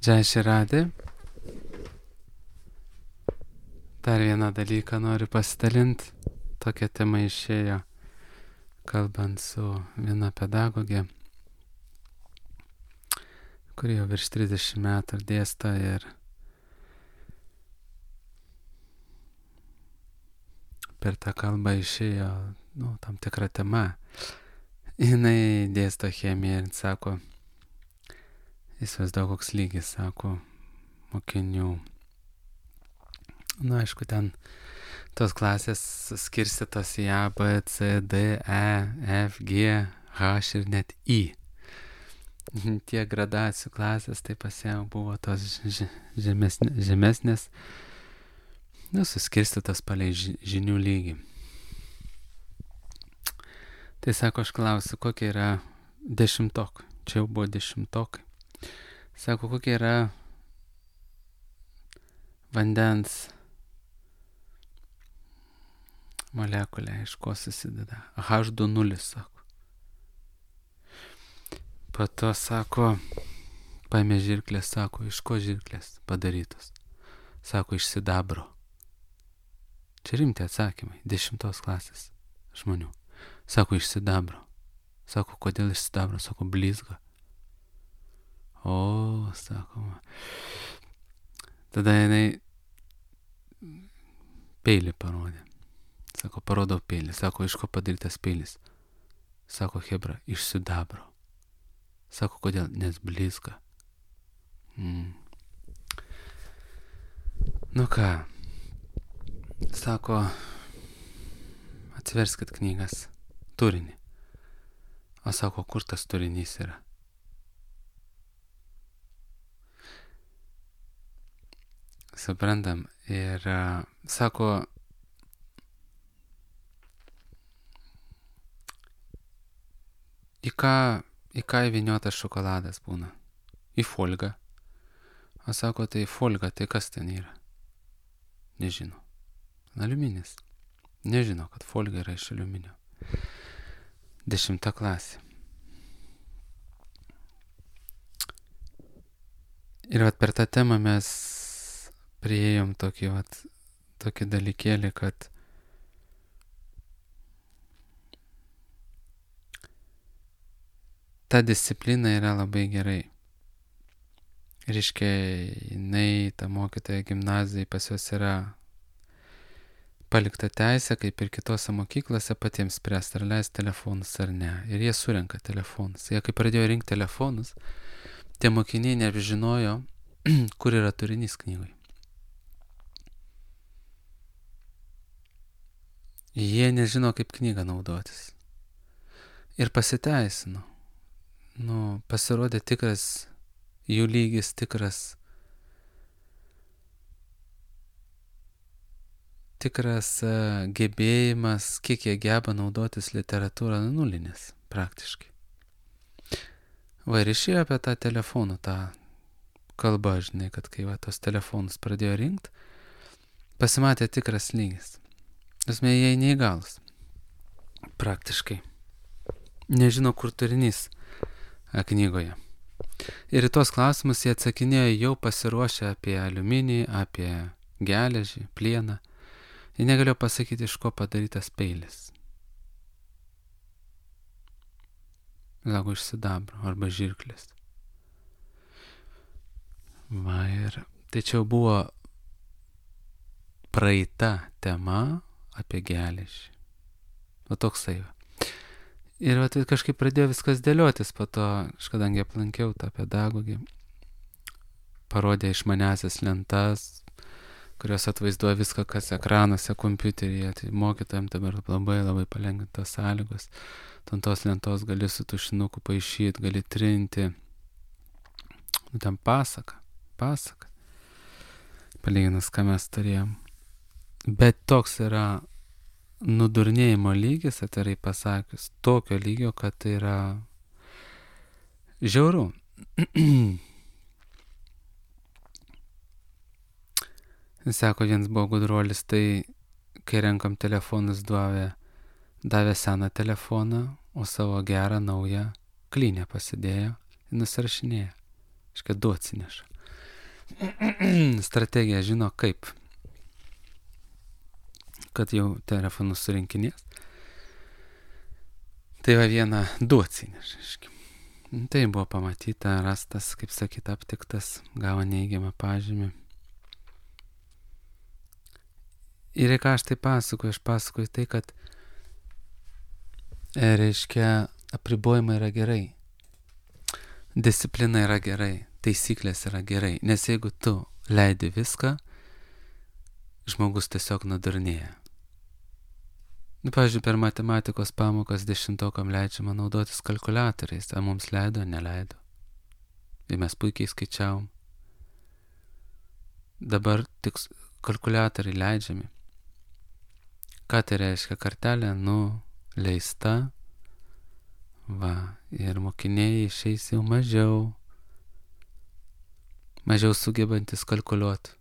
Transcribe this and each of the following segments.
Jai Shiradi. Dar vieną dalyką noriu pasidalinti. Tokia tema išėjo, kalbant su viena pedagogė, kuri jau virš 30 metų dėsto ir per tą kalbą išėjo, tam tikra tema. Jinai dėsto chemiją ir sako, įsivaizduoju koks lygis, sako, mokinių. Aišku, ten tos klasės skirstytos į A, B, C, D, E, F, G, H ir net I. Tie gradacijų klasės, tai pas ją buvo tos žemesnės, suskirstytos palei žinių lygį. Tai sako, aš klausiu, kokie yra dešimtokai. Čia jau buvo dešimtokai. Sako, kokie yra vandens molekulė, iš ko susideda. H2O, sako. Po to, sako, paėmė žirklės, sako, iš ko žirklės padarytos? Sako, iš sidabro. Čia rimti atsakymai, 10 klasės žmonių. Sako, iš sidabro. Sako, kodėl iš sidabro? Sako, blizga. O, sako, tada jinai peilį parodė. Sako, parodau peilį. Sako, iš ko padarytas peilis? Sako, hebra, iš sidabro. Sako, kodėl? Nes blizga. Nu ką, sako, atsiverskit knygas, turinį. O sako, kur tas turinys yra? Suprantam. Ir sako, į ką įvyniotas šokoladas būna? Į folgą. O sako, tai folga, tai kas ten yra? Nežino. Aliuminis. Nežino, kad folga yra iš aliuminio. 10 klasė. Ir per tą temą mes priėjom tokį dalykėlį, kad ta disciplina yra labai gerai. Reiškia, jinai, ta mokytoja gimnazijai pas jos yra palikta teisė, kaip ir kitose mokyklose, patiems spręsti, ar leis telefonus ar ne. Ir jie surenka telefonus. Jie kai pradėjo rinkti telefonus, tie mokiniai nežinojo, kur yra turinys knygoj. Jie nežino, kaip knygą naudotis. Ir pasiteisino. Pasirodė tikras, jų lygis tikras gebėjimas, kiek jie geba naudotis literatūrą, nulinis praktiškai. Ir išėjo apie tą telefoną, tą kalbą, žinai, kad kai tos telefonus pradėjo rinkti, pasimatė tikras lygis. Esmė, jie neįgalus. Praktiškai. Nežino, kur turinys knygoje. Ir į tos klausimus jie atsakinėjo jau pasiruošę apie aliuminį, apie geležį, plieną. Jie negalėjo pasakyti, iš ko padarytas peilis. Sako, iš sidabro arba žirklės. Ir tai čia buvo praeita tema apie geležį. Toksai. Ir kažkaip pradėjo viskas dėliotis, po to, aš kadangi aplankiau tą pedagogį, parodė išmaniasias lentas, kurios atvaizduoja viską, kas ekranuose, kompiuteryje. Tai mokytojams dabar labai palengvintos sąlygos. Tos lentos gali su tušinuku paišyti, gali trinti. Ten pasaka. Palyginus, ką mes turėjom. Bet toks yra nudurnėjimo lygis, atvirai pasakius, tokio lygio, kad tai yra žiauru. Sako, vienas buvo gudruolis, tai kai renkam telefonus, davė seną telefoną, o savo gerą naują klynę pasidėjo ir nusirašinėjo. Iškia, du atsineša. strategiją, žino kaip, kad jau telefonus surinkinės. Tai va vieną du atsineš, aiškiai. Tai buvo pamatyta, rastas, kaip sakyt, aptiktas, gavo neigiamą pažymį. Ir ką aš tai pasakoju? Aš pasakoju tai, kad reiškia, apribojimai yra gerai. Disciplina yra gerai. Taisyklės yra gerai. Nes jeigu tu leidi viską, žmogus tiesiog nudurnėja. Pavyzdžiui, per matematikos pamokas 10-okam leidžiama naudotis kalkuliatoriais. Ar mums leido, neleido. Ir mes puikiai skaičiavom. Dabar tik kalkuliatoriai leidžiami. Ką tai reiškia? Kartelė nuleista. Va. Ir mokiniai išeis jau mažiau sugebantis kalkuliuoti.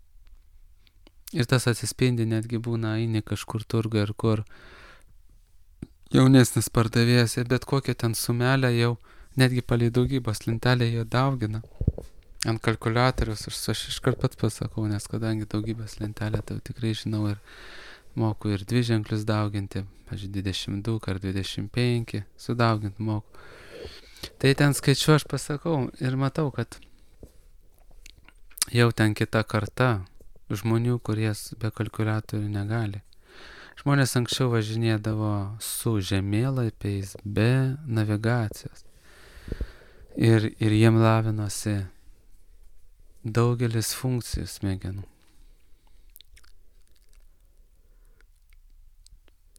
Ir tas atsispindi, netgi būna eini kažkur turguje ar kur jaunesnis pardavėjas, bet kokią ten sumelę jau, netgi palei daugybos lentelę jie daugina ant kalkuliatoriaus. Aš iškart pats pasakau, nes kadangi daugybos lentelę tai tikrai žinau ir moku ir dviženklius dauginti, pavyzdžiui, 22 ar 25 sudauginti moku. Tai ten skaičiu aš pasakau ir matau, kad jau ten kita karta žmonių, kurie be kalkuliatorių negali. Žmonės anksčiau važinėdavo su žemėlapiais be navigacijos. Ir jiem lavinosi daugelis funkcijų smegenų.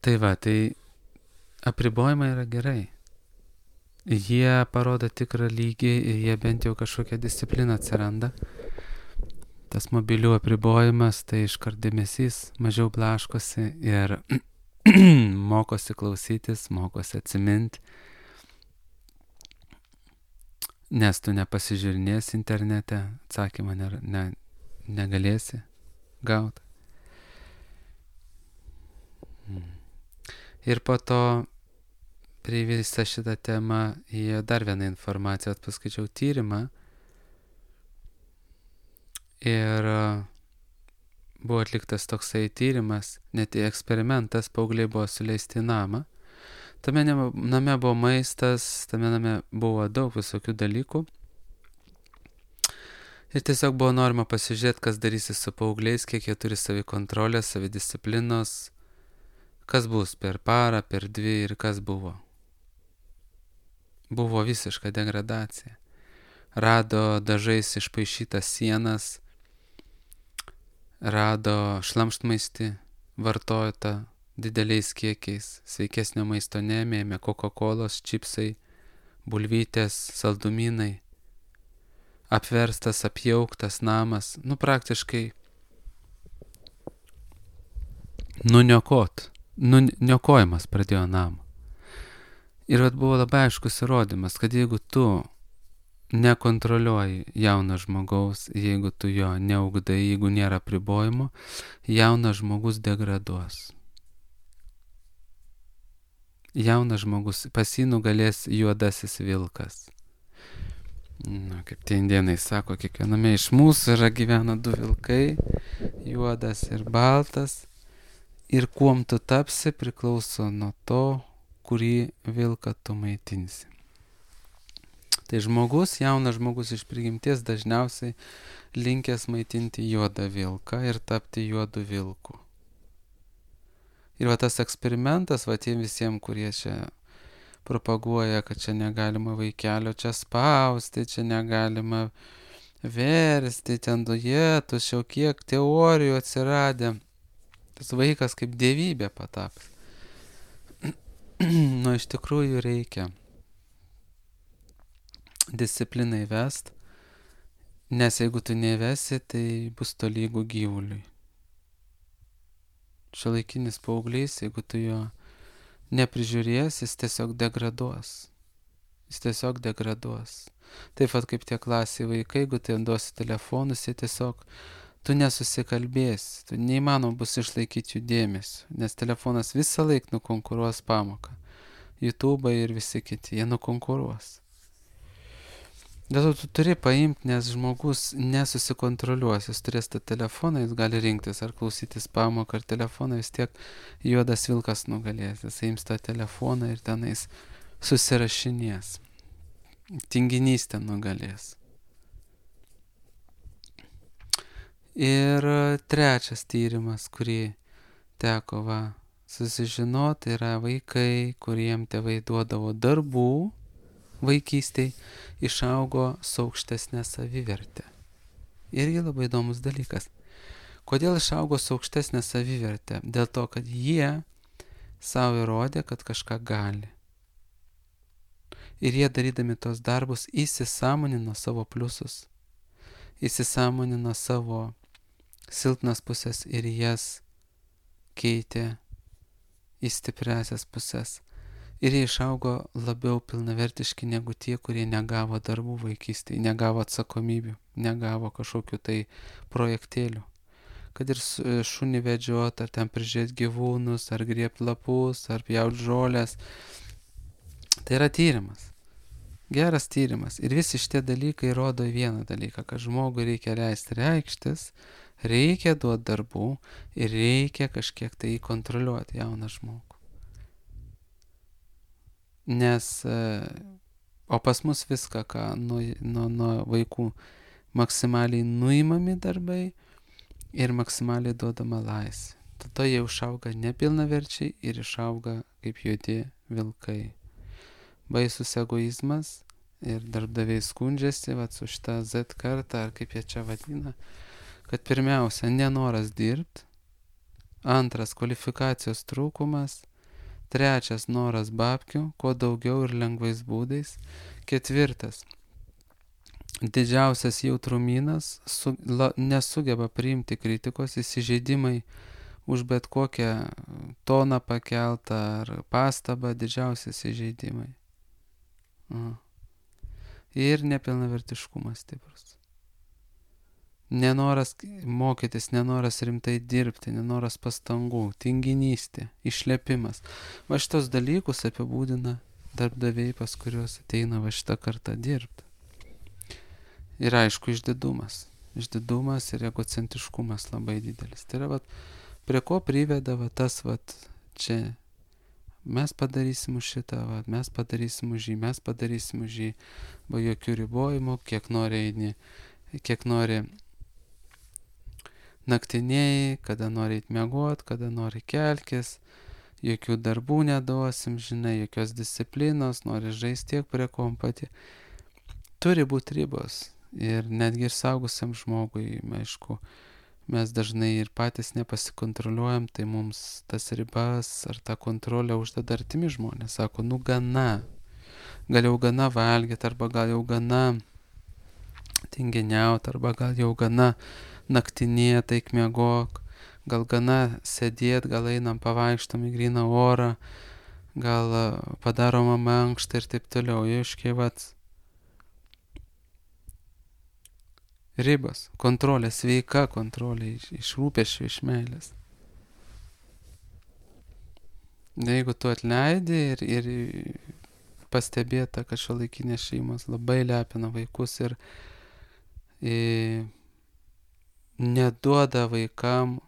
Tai va, tai apribojimai yra gerai. Jie parodo tikrą lygį ir jie bent jau kažkokią discipliną atsiranda. Tas mobilių apribojimas, tai iškart dėmesys mažiau blaškosi ir mokosi klausytis, mokosi atsiminti. Nes tu nepasižiūrinėsi internete, atsakymą negalėsi gauti. Ir po to prie visą šitą temą įėjo dar vieną informaciją, paskaičiau tyrimą. Ir buvo atliktas toksai tyrimas, net eksperimentas, paaugliai buvo suleisti į namą. Tame name buvo maistas, tame name buvo daug visokių dalykų. Ir tiesiog buvo norima pasižiūrėti, kas darysi su paaugliais, kiek jie turi savikontrolės, savidisciplinos, kas bus per parą, per 2 ir kas buvo. Buvo visiška degradacija. Rado dažais išpaišytas sienas, rado šlamštmaistį, vartojo dideliais kiekiais, sveikesnio maisto nemėmė, Coca-Colos, čipsai, bulvytės, saldumynai, apverstas, apjauktas namas, praktiškai nuniokojimas pradėjo namą. Ir buvo labai aiškus įrodymas, kad jeigu tu nekontroliuoji jauno žmogaus, jeigu tu jo neugdai, jeigu nėra apribojimo, jaunas žmogus degraduos. Jaunas žmogus, pas jį nugalės juodasis vilkas. Kaip tie indėnai sako, kiekviename iš mūsų gyvena 2 vilkai, juodas ir baltas. Ir kuom tu tapsi priklauso nuo to, kurį vilką tu maitinsi. Tai jaunas žmogus iš prigimties dažniausiai linkęs maitinti juodą vilką ir tapti juodu vilku. Ir tas eksperimentas, tiem visiems, kurie čia propaguoja, kad čia negalima vaikelio čia spausti, čia negalima versti, ten dujetus, jau kiek teorijų atsiradė. Tas vaikas kaip dievybė patapęs. Iš tikrųjų reikia discipliną įvest, nes jeigu tu nevesi, tai bus tolygų gyvuliui. Šiuolaikinis paauglys, jeigu tu jo neprižiūrėsi, jis tiesiog degraduos. Taip pat kaip tie klasiai vaikai, jeigu tu jam duosi telefonus, jie tiesiog, tu nesusikalbėsi, tu neįmanoma bus išlaikyti jų dėmesio, nes telefonas visą laiką nukonkuruos pamoką. YouTube ir visi kiti, jie nukonkuruos. Dėl to tu turi paimti, nes žmogus nesusikontroliuos, jis turės tą telefoną, jis gali rinktis ar klausytis pamoką, ar telefoną, vis tiek juodas vilkas nugalės, jis ims tą telefoną ir tenais susirašinės. Tinginystė nugalės. Ir trečias tyrimas, kurį teko susižinoti, yra vaikai, kuriem tėvai duodavo darbų vaikystėj, išaugo su aukštesnė savivertė. Irgi labai įdomus dalykas. Kodėl išaugo su aukštesnė savivertė? Dėl to, kad jie savo įrodė, kad kažką gali. Ir jie darydami tos darbus įsisąmonino savo pliusus, įsisąmonino savo silpnas pusės ir jas keitė į stipriasias pusės. Ir jie išaugo labiau pilnavertiški negu tie, kurie negavo darbų vaikystėje, negavo atsakomybių, negavo kažkokių tai projektėlių. Kad ir šunį vedžiot, ar ten prižiūrėti gyvūnus, ar griebti lapus, ar pjauti žolės. Tai yra tyrimas. Geras tyrimas. Ir visi šitie dalykai rodo vieną dalyką, kad žmogui reikia leisti reikštis, reikia duoti darbų ir reikia kažkiek tai kontroliuoti jauną žmogų. Nes, o pas mus viską, ką nuo vaikų maksimaliai nuimami darbai ir maksimaliai duodama laisvė. Tada jie išauga nepilnaverčiai ir išauga kaip juodi vilkai. Baisus egoizmas ir darbdaviai skundžiasi su šitą Z kartą, ar kaip jie čia vadina, kad pirmiausia, nenoras dirbti, antras, kvalifikacijos trūkumas, trečias, noras babkių, kuo daugiau ir lengvais būdais, ketvirtas, didžiausias jautrumynas, nesugeba priimti kritikos, įsižeidimai už bet kokią toną pakeltą ar pastabą, didžiausias įžeidimai. Ir nepilnavertiškumas stiprus. Nenoras mokytis, nenoras rimtai dirbti, nenoras pastangų, tinginystė, išlepimas. Va šitos dalykus apibūdina darbdaviai, pas kuriuos ateina va šitą kartą dirbti. Ir aišku, išdidumas. Išdidumas ir egocentriškumas labai didelis. Tai yra, prie ko priveda tas, čia mes padarysim už šitą, mes padarysim už jį, mes padarysim už jį, be jokių ribojimų, kiek nori eini, kiek nori naktinėjai, kada nori eit miegot, kada nori kelkis, jokių darbų neduosim, žinai, jokios disciplinos, nori žaisti tiek prie kompatį. Turi būti ribos ir netgi ir saugusiam žmogui, aišku, mes dažnai ir patys nepasikontroliuojam, tai mums tas ribas ar tą kontrolę uždeda artimi žmonės. Sako, gana, gal jau gana valgyti, arba gal jau gana tinginiauti, arba gal jau gana naktinėt, eik miegok, gal gana sėdėt, gal einam pavaikštom į gryną orą, gal padaroma mankštą ir taip toliau. Aiškiai, ribas, kontrolė, sveika kontrolė, iš rūpesčio, iš meilės. Jeigu tu atleidi ir pastebėta, kad šiuolaikinės šeimos labai lepina vaikus ir neduoda vaikam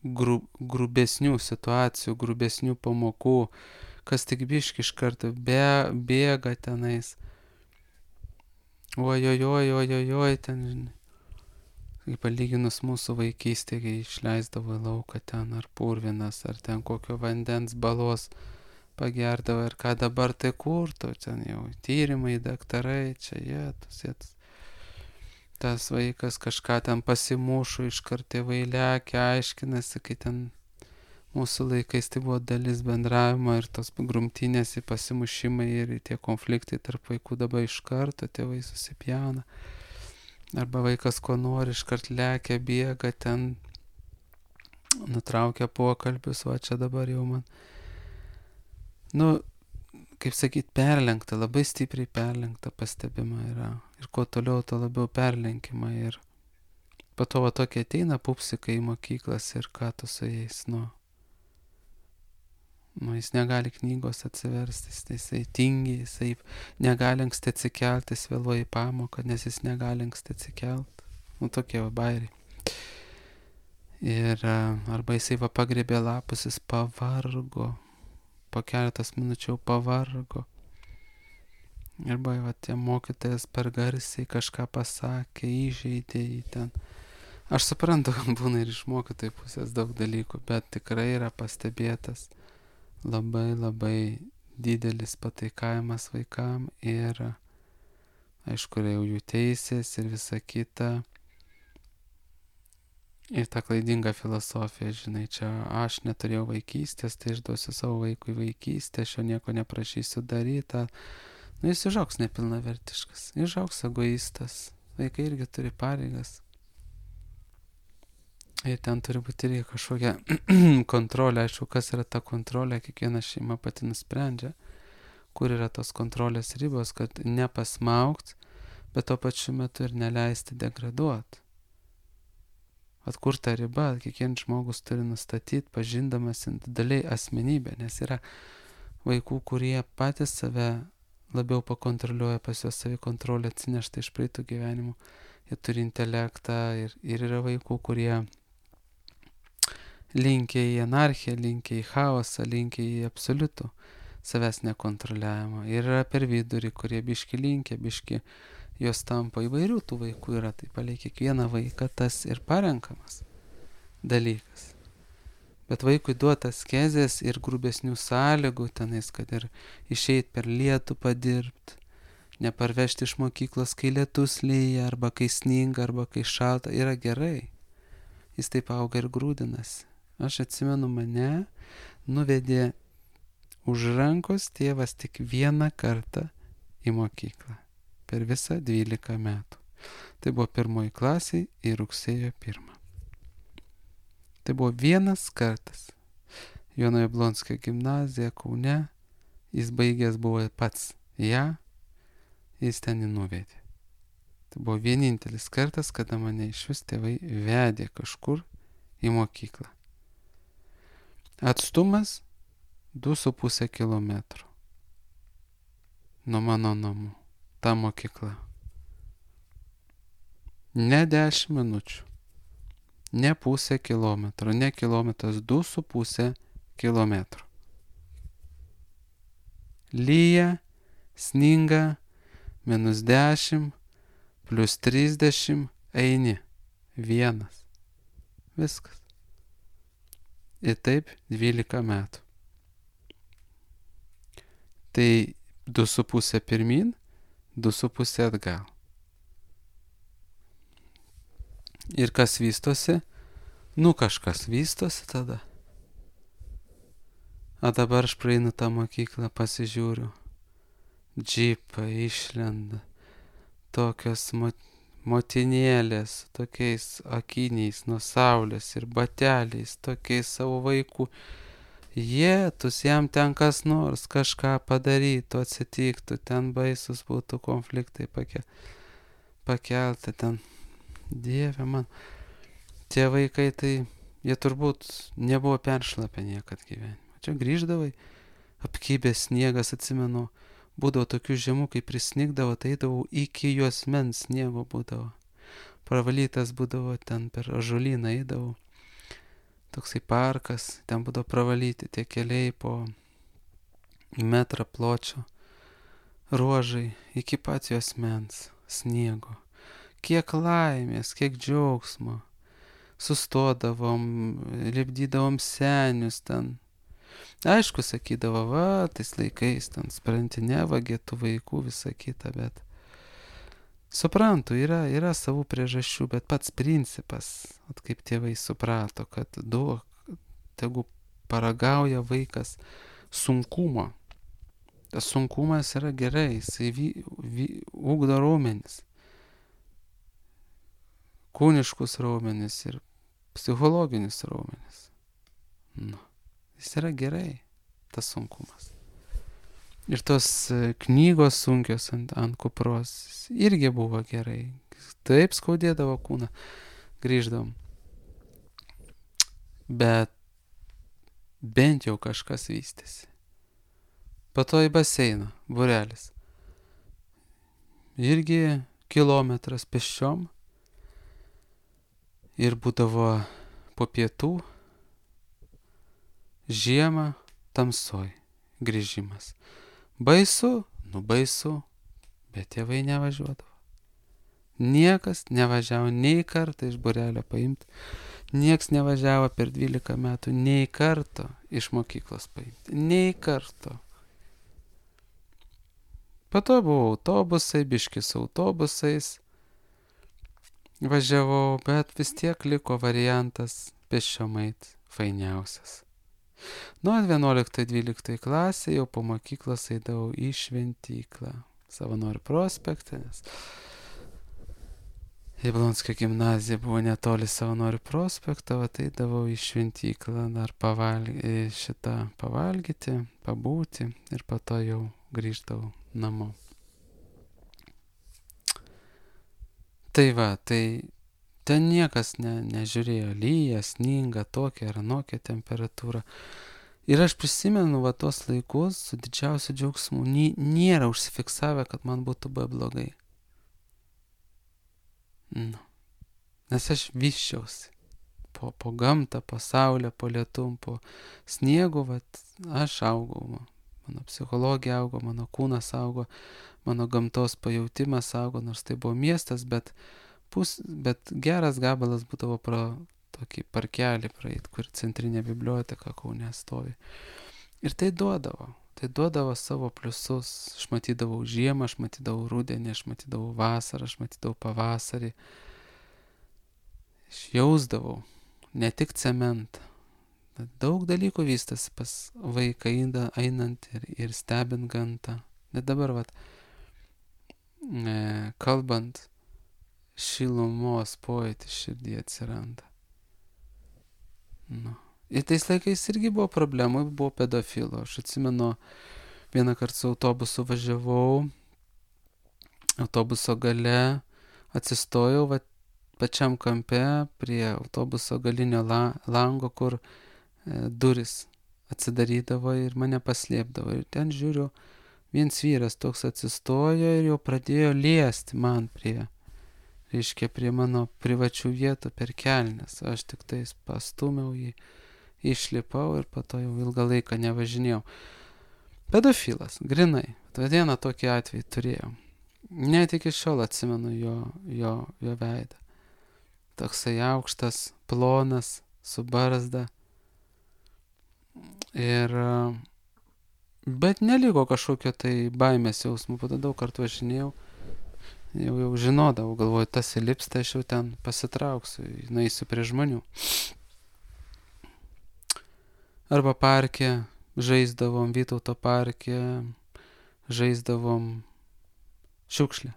grubesnių situacijų, grubesnių pamokų, kas tik biški iš karto bėga tenais. Ojojoj, ten, žinai. Kaip palyginus mūsų vaikystė, kai išleisdavo į lauką ten ar purvinas, ar ten kokio vandens balos pagerdavo ir ką dabar tai kurtų, ten jau tyrimai, daktarai, čia jėtus. Tas vaikas kažką ten pasimušo, iškart tėvai lekia, aiškinasi, kai ten mūsų laikais tai buvo dalis bendravimo ir tos grumtynės, pasimušimai ir tie konfliktai tarp vaikų dabar iš karto tėvai susipjauna. Arba vaikas ko nori, iškart lekia, bėga ten, nutraukia pokalbius, čia dabar jau man. Kaip sakyt, perlenkta, labai stipriai perlenkta pastebima yra. Ir kuo toliau, to labiau perlenkima. Ir po to tokie ateina pupsikai į mokyklas ir ką tu su jais, Jis negali knygos atsiversti, jisai tingi, jisai negali anksti atsikelti, jis vėluoja į pamoką, nes jis negali anksti atsikelti. Tokie bairiai. Ir arba jisai pagrėbė lapus, jis pavargo, po keletas minučių pavargo. Arba tie mokytojas per garsiai kažką pasakė, įžeidė jį ten. Aš suprantu, kad būna ir iš mokytojų pusės daug dalykų, bet tikrai yra pastebėtas labai didelis pataikavimas vaikam ir aišku, jau jų teisės ir visa kita. Ir ta klaidinga filosofija, žinai, čia aš neturėjau vaikystės, tai išduosiu savo vaikui vaikystę, aš jo nieko neprašysiu daryti. Jis užaugs nepilnavertiškas, užaugs egoistas, vaikai irgi turi pareigas. Ir ten turi būti irgi kažkokia kontrolė, aišku, kas yra ta kontrolė, kiekviena šeima pati nusprendžia, kur yra tos kontrolės ribos, kad nepasmaugt, bet tuo pačiu metu ir neleisti degraduoti. Kur ta riba, kiekvienas žmogus turi nustatyti, pažindamas individualiai asmenybę, nes yra vaikų, kurie patys save labiau pakontroliuoja, pas juos savikontrolę atsinešta iš praeitų gyvenimų, jie turi intelektą ir yra vaikų, kurie linkia į anarchiją, linkia į chaosą, linkia į absoliutų savęs nekontroliavimą. Ir yra per vidurį, kurie biški linkia, biški jos tampa įvairių tų vaikų yra, tai palei kiekvieną vaiką tas ir parenkamas dalykas. Bet vaikui duotas kezės ir grubesnių sąlygų tenais, kad ir išeit per lietų padirbti, neparvežti iš mokyklos, kai lietus lyja, arba kai sninga, arba kai šalta, yra gerai. Jis taip auga ir grūdinasi. Aš atsimenu, mane nuvedė už rankos tėvas tik vieną kartą į mokyklą. Per visą 12 metų. Tai buvo 1 klasėje į rugsėjo 1. Tai buvo vienas kartas. Jono Jablonskio gimnazija Kaune. Jis baigęs buvo pats ją. Jis ten jį nuvedė. Tai buvo vienintelis kartas, kada mane iš vis tėvai vedė kažkur į mokyklą. Atstumas 2,5 kilometro nuo mano namų. Ta mokykla. Ne 10 minučių, ne pusę kilometro, ne kilometras, 2,5 kilometro. Lyja, sninga, -10, +30, eini. Vienas. Viskas. Ir taip 12 metų. Tai 2,5 pirmin, 2,5 atgal. Ir kas vystosi? Kažkas vystosi tada. O dabar aš praeinu tą mokyklą, pasižiūriu. Džipai išlenda. Tokios motinėlės, tokiais akiniais nuo saulės ir bateliais, tokiais savo vaikų. Jėtus, jam ten kas nors kažką padarytų, atsitiktų, ten baisus būtų konfliktai pakelti ten. Dieve man, tie vaikai, tai jie turbūt nebuvo peršlapę niekad gyvenime. Čia grįždavai, apkybęs sniegas, atsimenu, būdavo tokių žemų, kai prisnigdavo, tai eidavau iki juosmens sniego būdavo. Pravalytas būdavo ten per ąžuolyną eidavau. Toksai parkas, ten būdavo pravalyti tie keliai po metrą pločio, ruožai iki pat juosmens sniego. Kiek laimės, kiek džiaugsmo. Sustodavom, lipdydavom senius ten. Aišku, sakydavo, va, tais laikais ten spranti nevagė tų vaikų, visą kitą, bet suprantu, yra savų priežasčių, bet pats principas, kaip tėvai suprato, kad tegu paragauja vaikas sunkumo. Tas sunkumas yra gerai, jisai ugdo raumenis. Kūniškus raumenis ir psichologinius raumenis. Jis yra gerai, tas sunkumas. Ir tos knygos sunkios ant kupros irgi buvo gerai. Taip skaudėdavo kūną, grįždavom. Bet bent jau kažkas vystėsi. Po to į baseiną, būrelis. Irgi kilometras pėsčiom. Ir būdavo po pietų, žiemą, tamsoj grįžimas. Baisu, baisu, bet tėvai nevažiuodavo. Niekas nevažiavo nei kartą iš būrelio paimti, nieks nevažiavo per 12 metų nei karto iš mokyklos paimti, nei karto. Po to buvo autobusai, biškis autobusais važiavau, bet vis tiek liko variantas pėsčiom eit fainiausias. Nuo 11-12 klasė jau po mokyklos eidavau į Šventyklą, Savanorių prospekte, nes Jablonskio gimnazija buvo netoli Savanorių prospekto, eidavau į Šventyklą dar pavalgyti, pabūti ir po to jau grįždavau namo. Tai va, tai ten niekas nežiūrėjo, lyja, sninga, tokia ar anokia temperatūra. Ir aš prisimenu tos laikus su didžiausiu džiaugsmu, nėra užsifiksavę, kad man būtų buvę blogai. Nes aš vyščiausi po gamtą, po saulę, po lietum, po sniegu, aš augau. Mano psichologija augo, mano kūnas augo, mano gamtos pajautimas augo, nors tai buvo miestas, bet geras gabalas būdavo pro tokį parkelį praeit, kur centrinė biblioteka Kaune stovi. Ir tai duodavo savo pliusus. Aš matydavau žiemą, aš matydavau rudenį, aš matydavau vasarą, aš matydavau pavasarį. Aš jausdavau ne tik cementą. Daug dalykų vystosi pas vaiką einant ir stebint gamtą. Net dabar, kalbant, šilumos pojūtis širdį atsiranda. Ir tais laikais irgi buvo problemų, buvo pedofilų. Aš atsimenu, vieną kartą su autobusu važiavau, autobuso gale atsistojau pačiam kampe prie autobuso galinio lango, kur duris atsidarydavo ir mane paslėpdavo. Ir ten žiūriu, viens vyras toks atsistojo ir jau pradėjo liesti man prie mano privačių vietų per kelnes. Aš tik tais pastumiau jį, išlipau ir po to jau ilgą laiką nevažinėjau. Pedofilas, grinai. Vieną tokį atvejį turėjau. Net iki šiol atsimenu jo veidą. Toksai aukštas, plonas, su barzda. Bet neliko kažkokio tai baimės jausmų, po to daug kartų važinėjau, jau žinodavau, galvoju, tas įlips, tai aš jau ten pasitrauksiu, nueisiu prie žmonių. Arba parke žaisdavom, Vytauto parke žaisdavom šiukšlę,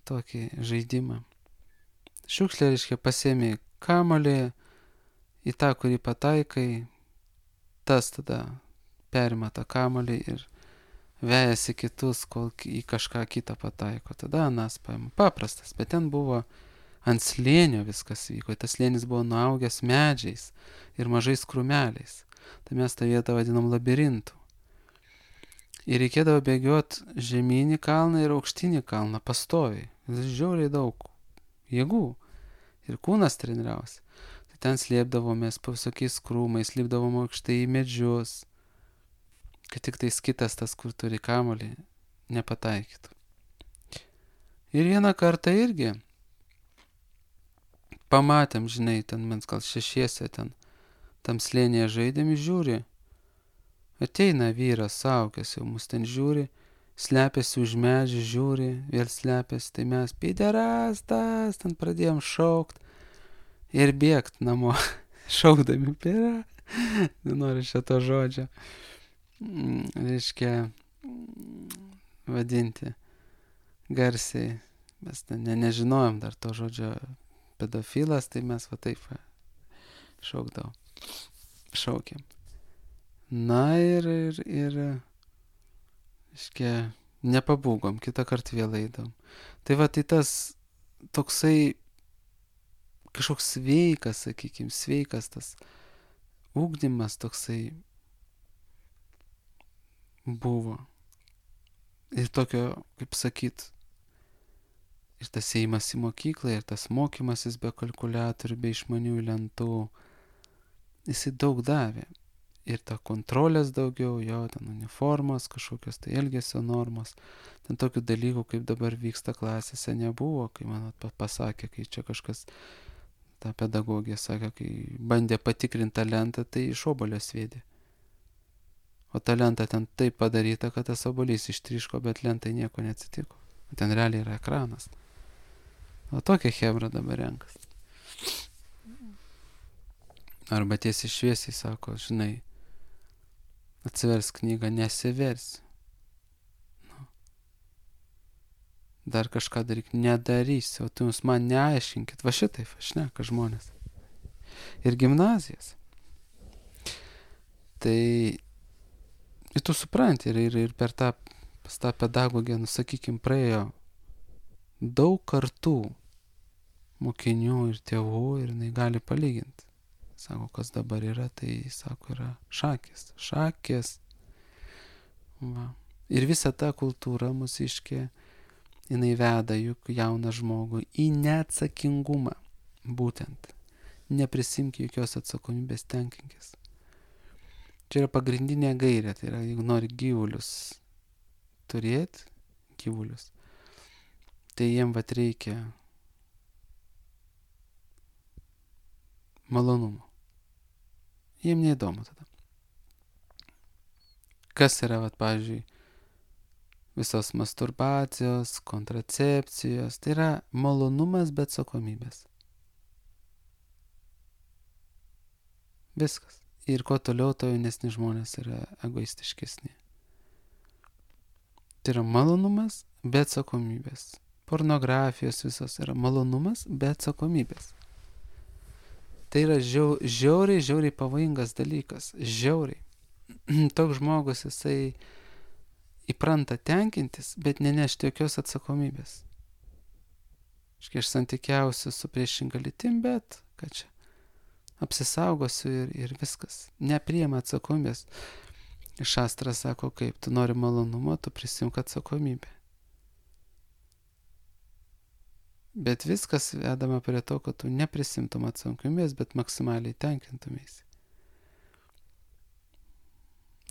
tokį žaidimą. Šiukšlė reiškia pasiėmė kamuolį, į tą, kurį pataikai, tas tada perima tą kamuolį ir vejasi kitus, kol į kažką kitą pataiko. Tada anas paima. Paprastas, bet ten buvo ant slėnio viskas vyko. Tas slėnis buvo nuaugęs medžiais ir mažais krūmeliais. Tai mes tą vietą vadinam labirintu. Ir reikėdavo bėgioti žemynį kalną ir aukštinį kalną pastoviai. Žiauriai daug jėgų. Ir kūnas treniriausi. Ten slėpdavomės po visokiais krūmais, lipdavom aukštai į medžius, kad tik tais kitas tas, kur turi kamuolį, nepataikytų. Ir vieną kartą irgi pamatėm, žinai, ten mes gal šešiese ten tam slėnėje žaidėm, žiūri, ateina vyras, saukęs jau mus ten žiūri, slepiasi už medžių, žiūri, vėl slepiasi, tai mes piderastas, ten pradėjom šaukt. Ir bėgt namo, šaukdami pėra, nenoriu šito žodžio, reiškia vadinti garsiai, mes nežinojom dar to žodžio pedofilas, tai mes taip šaukėm. Na ir reiškia, nepabūgom, kitą kartą vėl eidom. Tai tas toksai kažkoks sveikas tas ugdymas toksai buvo. Ir tokio, kaip sakyt, ir tas ėjimas į mokyklą, ir tas mokymasis be kalkuliatorių, be išmanių lentų, jisai daug davė. Ir ta kontrolės daugiau, jo, ten uniformos, kažkokios tai elgesio normos. Ten tokių dalykų, kaip dabar vyksta klasėse, nebuvo, kai man pasakė, kai čia kažkas, ta pedagogija sakė, kai bandė patikrinti talentą, tai iš obuolio sviedė. O ta lenta ten taip padaryta, kad tas obuolys ištryško, bet lentai nieko neatsitiko. Ten realiai yra ekranas. O tokia chebra dabar renkas. Arba tiesiai šviesiai sako, žinai, atsivers knygą, nesiversi. Nu. Dar kažką daryk, nedarysi, o tu jūs man neaiškinkit. Va šitaip, šneka žmonės. Ir gimnazijas. Tai ir tu supranti, ir per tą pedagogiją, nu, sakykim, praėjo daug kartų mokinių ir tėvų ir jinai gali palyginti. Sako, kas dabar yra, tai, sako, yra šakės. Šakės. Va. Ir visa ta kultūra mūsiškė, jinai veda juk jauną žmogų į neatsakingumą. Būtent. Neprisimk jokios atsakomybės, tenkinkis. Čia yra pagrindinė gairė, tai yra, jeigu nori gyvulius turėti, gyvulius, tai jiem vat reikia malonumo. Jiem neįdomu tada. Kas yra, vat, pavyzdžiui, visos masturbacijos, kontracepcijos, tai yra malonumas be atsakomybės. Viskas. Ir kuo toliau, to jaunesni žmonės yra egoistiškesni. Tai yra malonumas be atsakomybės. Pornografijos visos yra malonumas be atsakomybės. Tai yra žiauriai pavojingas dalykas. Žiauriai. Toks žmogus, jisai įpranta tenkintis, bet nenešti jokios atsakomybės. Aš santykiausiu su priešinga lytim, bet ką čia? Apsisaugosiu ir viskas. Nepriima atsakomybės. Šastras sako, kaip tu nori malonumo, tu prisimk atsakomybę. Bet viskas vedama prie to, kad tu neprisimtum atsakomybės, bet maksimaliai tenkintumėsi.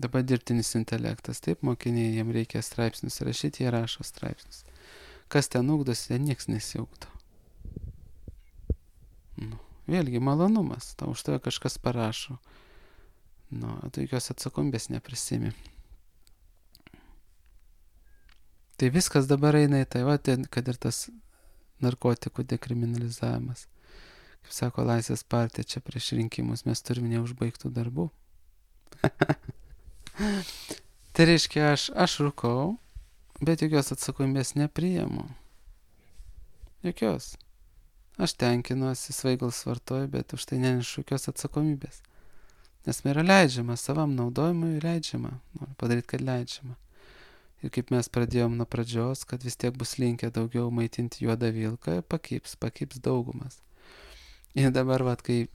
Dabar dirbtinis intelektas. Taip, mokiniai, jiem reikia straipsnius rašyti, jie rašo straipsnius. Kas ten ugdosi, ten nieks nesiugdo. Nu. Vėlgi malonumas, tau už tave kažkas parašo. Nu, tu jokios atsakomybės neprisimi. Tai viskas dabar eina į tai, va, kad ir tas narkotikų dekriminalizavimas. Kaip sako Laisvės partija čia prieš rinkimus, mes turime neužbaigtų darbų. Tai reiškia, aš rūkau, bet jokios atsakomybės nepriimu. Jokios. Aš tenkinuosi, svaigalus vartoju, bet už tai nenešu jokios atsakomybės. Nes man yra leidžiama, savam naudojimui leidžiama. Noriu padaryti, kad leidžiama. Ir kaip mes pradėjom nuo pradžios, kad vis tiek bus linkę daugiau maitinti juodą vilką, pakibs daugumas. Ir dabar, vat, kai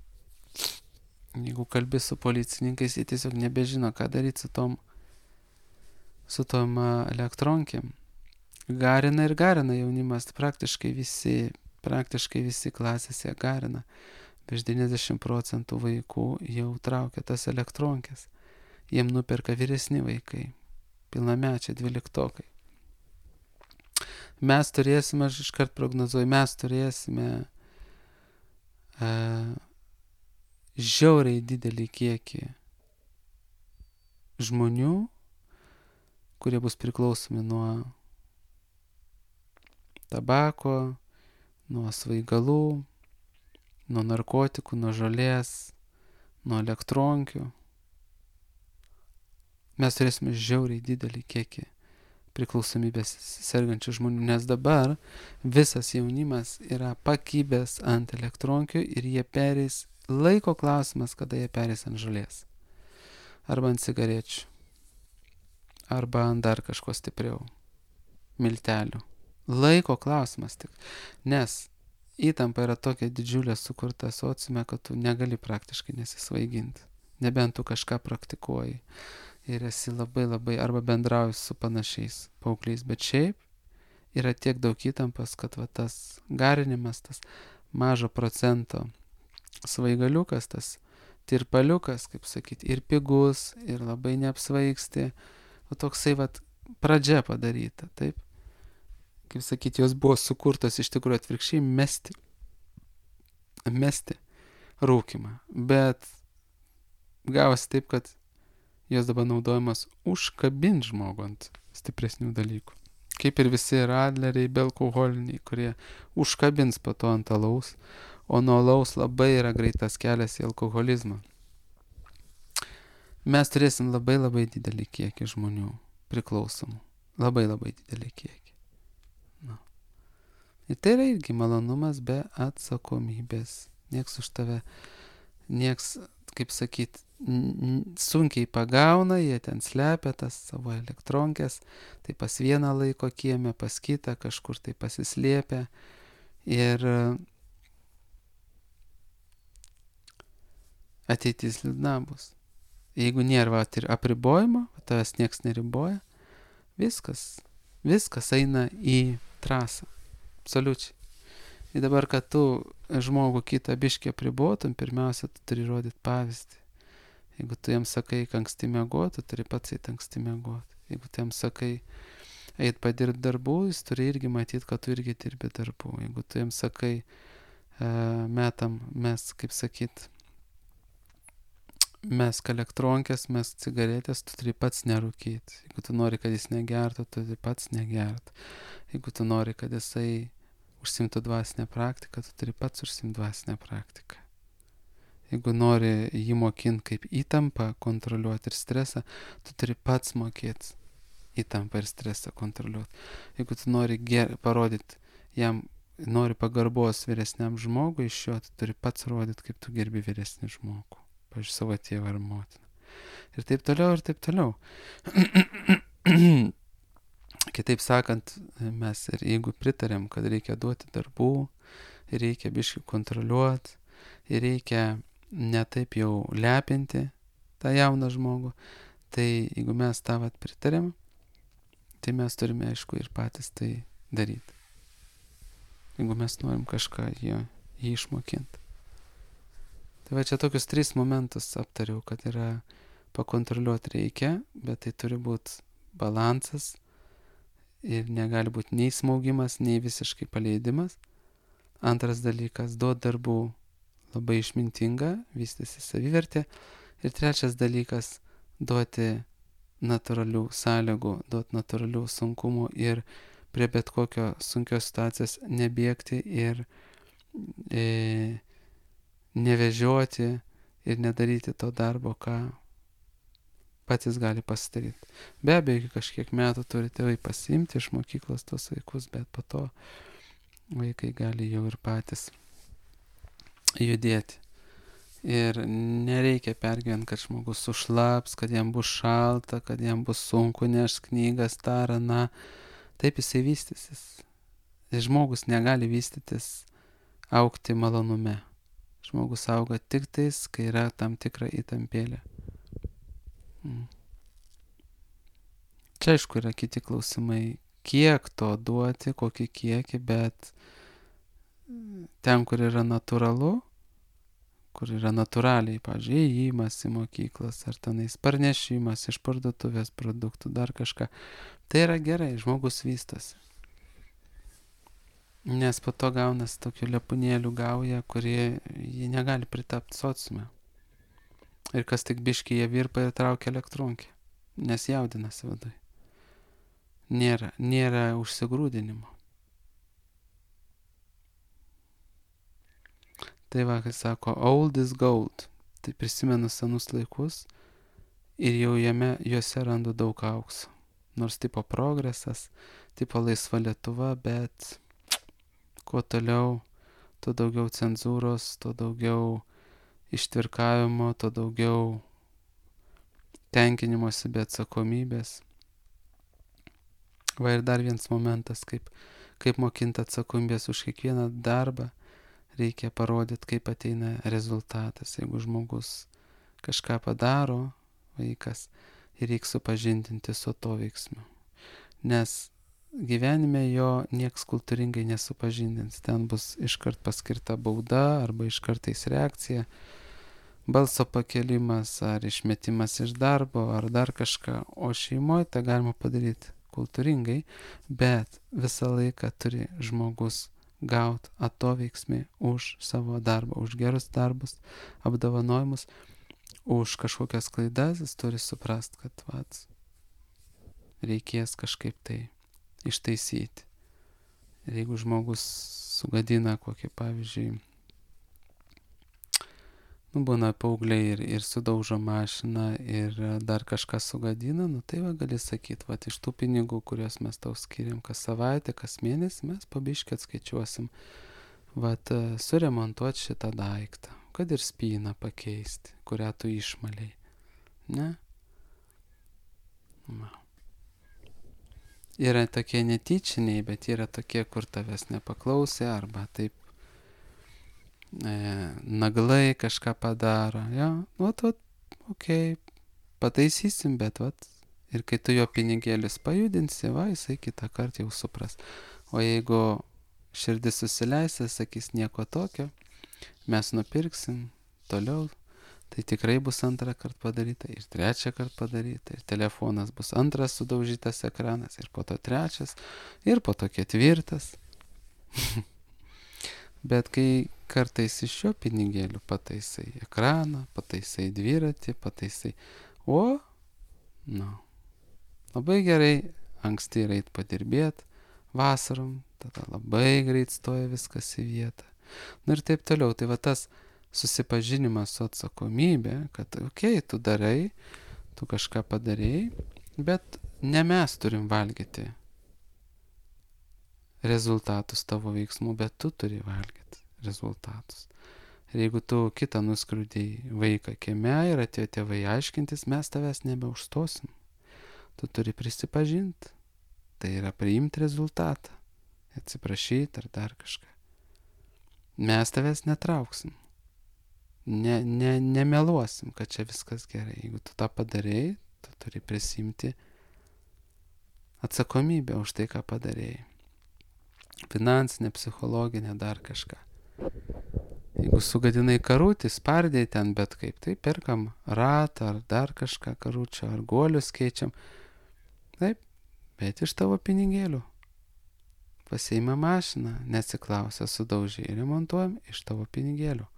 jeigu kalbi su policininkais, jie tiesiog nebežino, ką daryti su tom elektronkėm. Garina jaunimas, praktiškai visi klasėse garina. Virš 90% vaikų jau traukia tas elektronkės. Jiem nuperka vyresni vaikai, pilnamečiai, 12-okai. Mes turėsime, aš iškart prognozuoju, mes turėsime žiauriai didelį kiekį žmonių, kurie bus priklausomi nuo tabako, nuo svaigalų, nuo narkotikų, nuo žolės, nuo elektronkių. Mes turėsime žiauriai didelį kiekį priklausomybės sergančių žmonių, nes dabar visas jaunimas yra pakibęs ant elektronkių ir jie pereis, laiko klausimas, kada jie pereis ant žolės. Arba ant cigarečių. Arba ant dar kažko stipriau. Miltelių. Laiko klausimas tik. Nes įtampa yra tokia didžiulė sukurta sociume, kad tu negali praktiškai nesisvaiginti. nebent tu kažką praktikuoji ir esi labai arba bendrauji su panašiais paaugliais, bet šiaip yra tiek daug įtampos, kad va tas garinimas, tas mažo procento svaigaliukas, tas tirpaliukas, kaip sakyti, ir pigus, ir labai neapsvaigsti, o toksai va pradžia padaryta, taip? Kaip sakyti, jos buvo sukurtos iš tikrųjų atvirkščiai mesti rūkimą, bet gavosi taip, kad jos dabar naudojamas užkabint žmogų ant stipresnių dalykų. Kaip ir visi radleriai, bealkoholiniai, kurie užkabins po to ant alaus, o nuo alaus labai yra greitas kelias į alkoholizmą. Mes turėsim labai didelį kiekį žmonių priklausomų. Labai didelį kiekį. Na. Ir tai yra irgi malonumas be atsakomybės. Nieks už tave, kaip sakyt, sunkiai pagauna, jie ten slepia tas savo elektronkės, tai pas vieną laiko kiemę, pas kitą kažkur tai pasislėpia. Ir ateitis liūdna bus. Jeigu nėra apribojimo, tavęs nieks neriboja, viskas eina į trasą. Absoliučiai. Ir dabar, kad tu žmogų kitą biškį apribotum, pirmiausia, tu turi rodyti pavyzdį. Jeigu tu jam sakai, anksti miegoti, tu turi pats eit anksti miegoti. Jeigu tu jam sakai, eit padirbti darbų, jis turi irgi matyti, kad tu irgi dirbi darbų. Jeigu tu jam sakai, kaip sakyt, mesk elektronkės, mesk cigaretės, tu turi pats nerūkyti. Jeigu tu nori, kad jis negertų, tu turi pats negerti. Jeigu tu nori, kad jisai užsimtų dvasinę praktiką, tu turi pats užsimti dvasinę praktiką. Jeigu nori jį mokinti kaip įtampą kontroliuoti ir stresą, tu turi pats mokėti įtampą ir stresą kontroliuoti. Jeigu tu nori parodyti jam, nori pagarbos vyresniam žmogui iš jo, tu turi pats rodyti, kaip tu gerbi vyresnį žmogų. Pavyzdžiui, savo tėvą ar motiną. Ir taip toliau, ir taip toliau. Kitaip sakant, mes ir jeigu pritarėm, kad reikia duoti darbų, reikia biškį kontroliuoti, ir reikia ne taip jau lepinti tą jauną žmogų, tai jeigu mes tą pritarėm, tai mes turime, aišku, ir patys tai daryti. Jeigu mes norim kažką jį išmokinti. Tai va čia tokius 3 momentus aptariau, kad yra pakontroliuoti reikia, bet tai turi būti balansas ir negali būti nei smaugimas, nei visiškai paleidimas. Antras dalykas, duoti darbų labai išmintinga, vystysi savivertė. Ir trečias dalykas, duoti natūralių sąlygų, duoti natūralių sunkumų ir prie bet kokio sunkios situacijos nebėgti ir nevežioti ir nedaryti to darbo, ką patys gali pasidaryti. Be abejo, iki kažkiek metų turi tėvai pasiimti iš mokyklos tos vaikus, bet po to vaikai gali jau ir patys judėti. Ir nereikia pergyventi, kad žmogus sušlaps, kad jam bus šalta, kad jam bus sunku nešti knygas, tarą, na, taip jisai vystysis. Žmogus negali vystytis, augti malonume. Žmogus auga tik tais, kai yra tam tikra įtampėlė. Čia aišku yra kiti klausimai, kiek to duoti, kokį kiekį, bet ten, kur yra natūralu, kur yra natūraliai, pavyzdžiui, įėjimas į mokyklas, ar tenais parnešimas iš parduotuvės produktų, dar kažką, tai yra gerai, žmogus vystosi. Nes po to gaunas tokių lepūnėlių gauja, kurie jį negali pritapti sociume. Ir kas tik biškį jie virpa ir traukia elektronkę, nes jaudinasi viduje. Nėra užsigrūdinimo. Tai va, kai sako, old is gold, tai prisimenu senus laikus ir jau juose randu daug aukso. Nors tipo progresas, tipo laisva Lietuva, bet kuo toliau, tuo daugiau cenzūros, tuo daugiau ištvirkavimo, tuo daugiau tenkinimosi be atsakomybės. Va ir dar vienas momentas, kaip mokinti atsakomybės už kiekvieną darbą, reikia parodyti, kaip ateina rezultatas. Jeigu žmogus kažką padaro vaikas ir reikia supažindinti su to veiksmu. Nes gyvenime jo nieks kultūringai nesupažindins. Ten bus iškart paskirta bauda arba iškartais reakcija, balso pakelimas ar išmetimas iš darbo ar dar kažką. O šeimoje tą galima padaryti kultūringai, bet visą laiką turi žmogus gauti atoveiksmį už savo darbą, už gerus darbus, apdovanojimus, už kažkokias klaidas. Jis turi suprast, kad reikės kažkaip tai ištaisyti. Ir jeigu žmogus sugadina kokį, pavyzdžiui, būna paaugliai ir sudaužo mašiną ir dar kažką sugadina, tai gali sakyti, iš tų pinigų, kuriuos mes tau skiriam kas savaitę, kas mėnesį, mes pabiškai atskaičiuosim, suremontuoti šitą daiktą, kad ir spyną pakeisti, kurią tu išmaliai. Ne? Yra tokie netyčiniai, bet yra tokie, kur tavęs nepaklausė arba taip naglai kažką padaro. Okei, pataisysim, bet ir kai tu jo pinigėlius pajudinsi, jisai kitą kartą jau supras. O jeigu širdis susileis, sakys nieko tokio, mes nupirksim toliau, tai tikrai bus antrą kartą padaryta ir trečią kartą padaryta ir telefonas bus antras sudaužytas ekranas ir po to trečias ir po to ketvirtas. Bet kai kartais iš šio pinigėlių pataisai ekraną, pataisai dviratį, pataisai, labai gerai anksti yra eit padirbėt, vasarom, tada labai greit stoja viskas į vietą. Ir taip toliau. Tai tas susipažinimas su atsakomybė, kad tu darai, tu kažką padarei, bet ne mes turim valgyti rezultatus tavo veiksmų, bet tu turi valgyti rezultatus. Ir jeigu tu kitą nuskriaudei vaiką kieme ir atėjo tėvai aiškintis, mes tavęs nebeužstosim. Tu turi prisipažinti. Tai yra priimti rezultatą, atsiprašyti ar dar kažką. Mes tavęs netrauksim. Nemeluosim, kad čia viskas gerai. Jeigu tu tą padarei, tu turi prisimti atsakomybę už tai, ką padarei. Finansinė, psichologinė, dar kažką. Jeigu sugadinai karutį, spardai ten bet kaip, tai perkam ratą ar dar kažką karučio, ar guolius keičiam. Taip, bet iš tavo pinigėlių. Pasiima mašiną, neatsiklausę, sudaužiai, remontuojam iš tavo pinigėlių.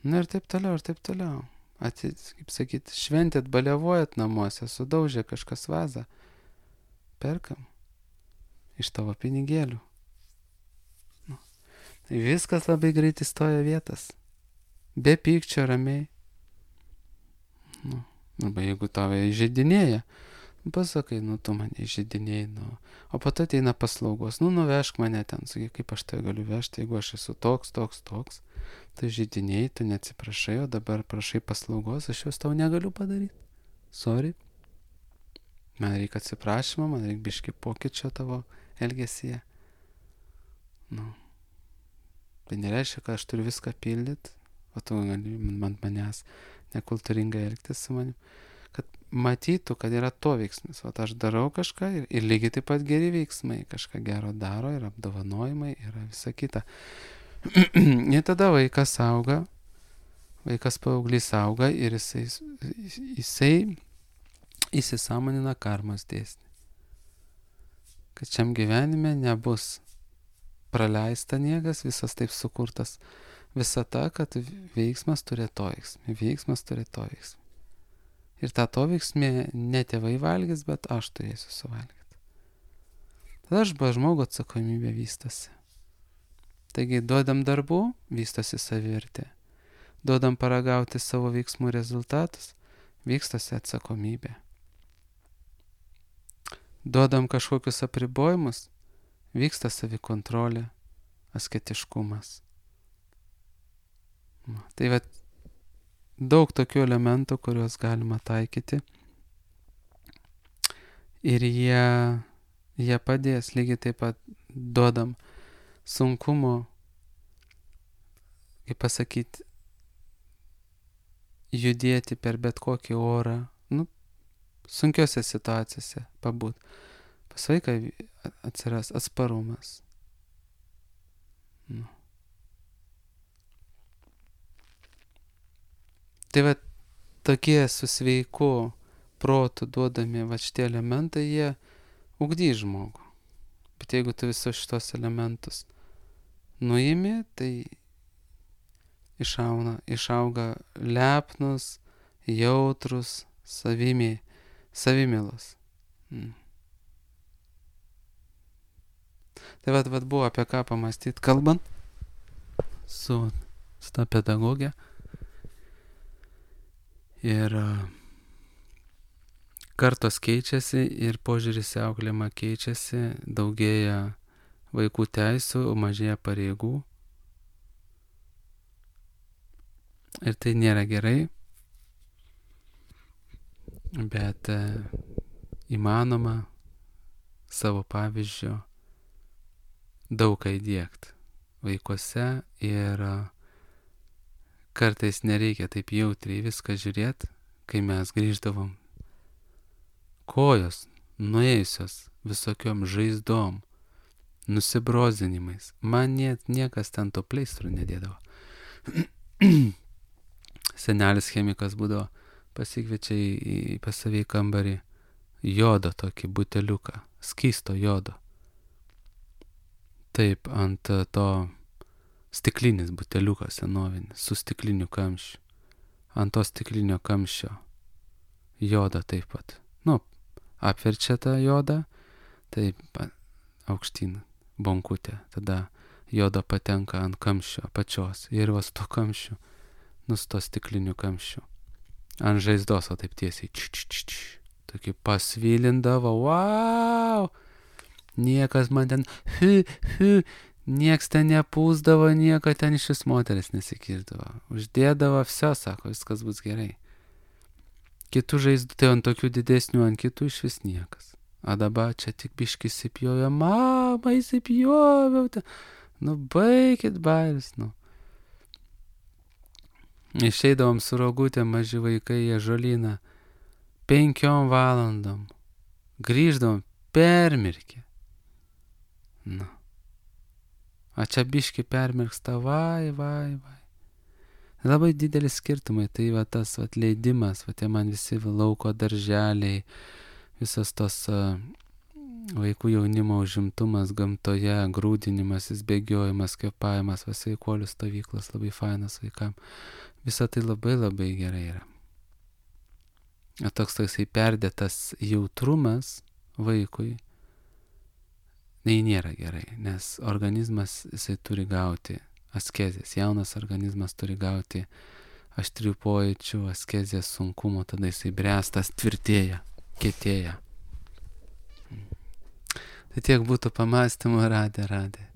Ir taip toliau, ir taip toliau. Kaip sakyt, šventėt, baliavojat namuose, sudaužė kažkas vazą. Perkam iš tavo pinigėlių. Viskas labai greitai stoja vietas. Be pykčio, ramiai. Arba jeigu tave įžeidinėja, pasakai, tu mane įžeidinėjai, o po to ateina paslaugos, nuvežk mane ten, sakai, kaip aš tai galiu vežti, jeigu aš esu toks, tu žeidinėjai, tu neatsiprašai, o dabar prašai paslaugos, aš jos tau negaliu padaryti. Sorry. Man reikia atsiprašymo, man reikia biškį pokyčio tavo elgesyje. Tai nereiškia, kad aš turiu viską pildyti, o tu gali manęs nekultūringai elgtis su manim. Kad matytų, kad yra to veiksmis. Aš darau kažką ir lygiai taip pat geri veiksmai. Kažką gero daro ir apdovanojimai yra visa kita. Ir tada vaikas auga, vaikas paauglys auga ir jisai įsisąmonina karmos dėsnį. Kad šiam gyvenime nebus praleista niekas, visas taip sukurtas visata, kad veiksmas turi to veiksmį, veiksmas turi to veiksmį. Ir tą to veiksmį ne tėvai valgys, bet aš turėsiu suvalgyti. Tada žmogo atsakomybė vystosi. Taigi duodam darbų, vystosi savivertė. Duodam paragauti savo veiksmų rezultatus, vystosi atsakomybė. Duodam kažkokius apribojimus, vyksta savikontrolė, asketiškumas. Tai daug tokių elementų, kuriuos galima taikyti. Ir jie padės, lygiai taip pat duodam sunkumo, kaip pasakyti, judėti per bet kokį orą, sunkiose situacijose pabūt. Pas vaiką atsiras atsparumas. Tai va tokie su sveiku protu duodami va šitie elementai, jie ugdys žmogų. Bet jeigu tu visus šitos elementus nuimi, tai išauga lepnus, jautrus, savimėlos. Tai vat buvo apie ką pamastyti, kalbant su ta pedagogė. Ir kartos keičiasi ir požiūris į auklėjimą keičiasi, daugėja vaikų teisių, mažėja pareigų. Ir tai nėra gerai, bet įmanoma savo pavyzdžio daug ką įdiegti vaikuose ir kartais nereikia taip jautriai viską žiūrėti, kai mes grįždavom. Kojos nuėjusios visokiom žaizdom, nusibrozinimais. Man niekas ten to pleistrų nedėdavo. Senelis chemikas būdavo, pasikviečia pas save į kambarį jodo tokį buteliuką, skysto jodo. Taip, ant to stiklinis buteliukas senovinis, su stikliniu kamščiu. Ant to stiklinio kamščio jodą taip pat. Apverčia tą jodą, taip aukštyn bonkutė. Tada jodo patenka ant kamščio apačios. Ir vas to kamščiu, su to stikliniu kamščiu. Ant žaizdos, o taip tiesiai. Tokį pasvilindavo. Wow! Niekas man ten, nieks ten nepūsdavo, nieko ten iš vis moteris nesikirdavo. Uždėdavo, sako, viskas bus gerai. Kitų žaizdų, tai ant tokių didesnių, ant kitų iš vis niekas. A dabar čia tik biški įsipjovė, mama, įsipjoviau. Baikit bairis, Išeidavom su rogutėm, maži vaikai į ąžuolyną 5 valandom. Grįždavom permirkę. A čia biški permirksta, vai. Labai didelis skirtumai, tai va tas leidimas, tie man visi lauko darželiai, visas tos vaikų jaunimo užimtumas gamtoje, grūdinimasis, bėgiojimas, kvėpavimas, sveikuolių stovyklos, labai fainas vaikam. Visa tai labai labai gerai yra. Toks perdėtas jautrumas vaikui, tai nėra gerai, nes organizmas jisai turi gauti askezės. Jaunas organizmas turi gauti aštrių pojūčių, askezės sunkumo, tada jisai bręstas, tvirtėja, kietėja. Tai tiek būtų pamastymų, radė.